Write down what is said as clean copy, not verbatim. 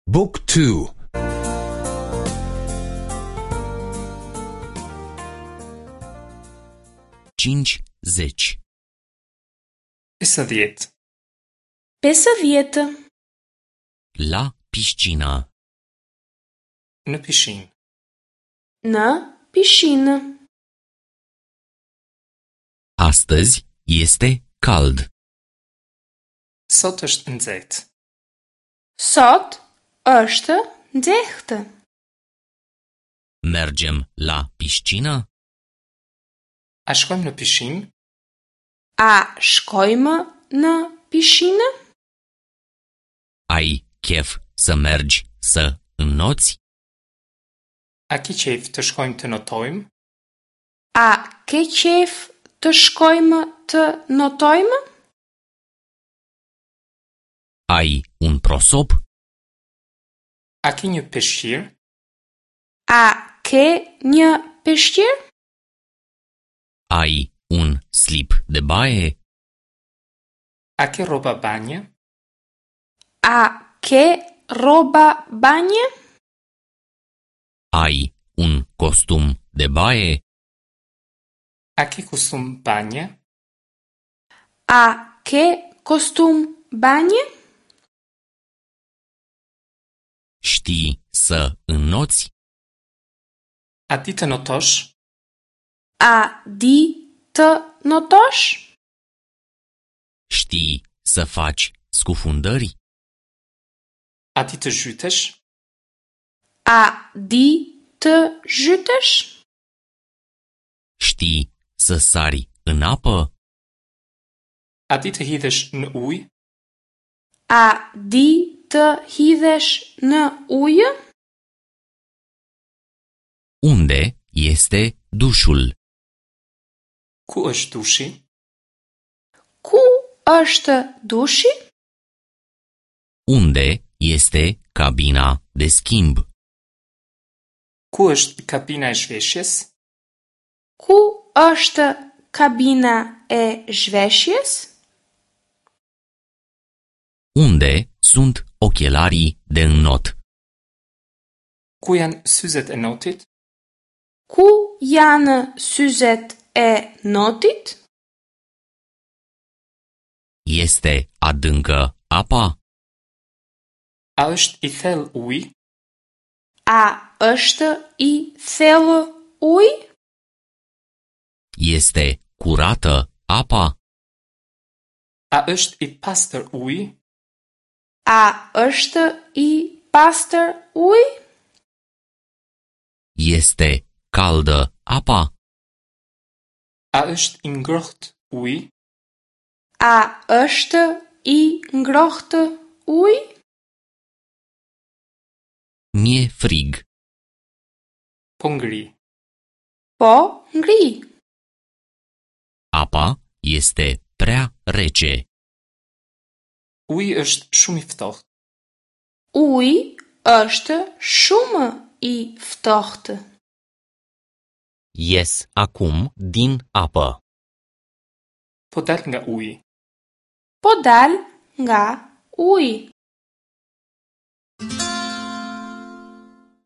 Book 2 50. 50. 50. La piscină. Në pishinë. Në pishinë. Astăzi este cald. Sot është nxehtë. Sot është nxehtë. Mergem la piscină? A shkojmë në pishinë? A shkojmë në pishinë? Ai chef să mergi să înnoți? A ki qejf të shkojmë të notojmë? A ke qejf të shkojmë të notojmë? Ai un prosop? A ke një peshqir? A ke një peshqir? Ai un slip de baie? A ke rroba banje? A ke rroba banje? Ai un costum de baie? A ke kostum banje? A ke kostum banje? Știi să înnoți? A di të notosh? A di të notosh? Știi să faci scufundări? A di të zhytesh? A di të zhytesh? Știi să sari în apă? A di të hidhesh në ujë? A di të hidhesh në ujë? Unde este dușul? Ku është dushi? Ku është dushi? Unde este cabina de schimb? Ku është kabina e zhveshjes? Ku është kabina e zhveshjes? Unde sunt ochelarii de înnot? Ku janë syzet e notit? Ku janë syzet e notit? Este adâncă apa? A është i thellë uji? A është i thellë uji? Este curată apa? A është i pastër uji? A është i pastër uji? Este caldă apa? A është i ngrohtë uji? A është i ngrohtë uji? Mi-e frig. Po ngri. Po ngri. Apa este prea rece. Uji është shumë i ftohtë. Uji është shumë i ftohtë. Ies acum din apă. Po dal nga uji. Po dal nga uji.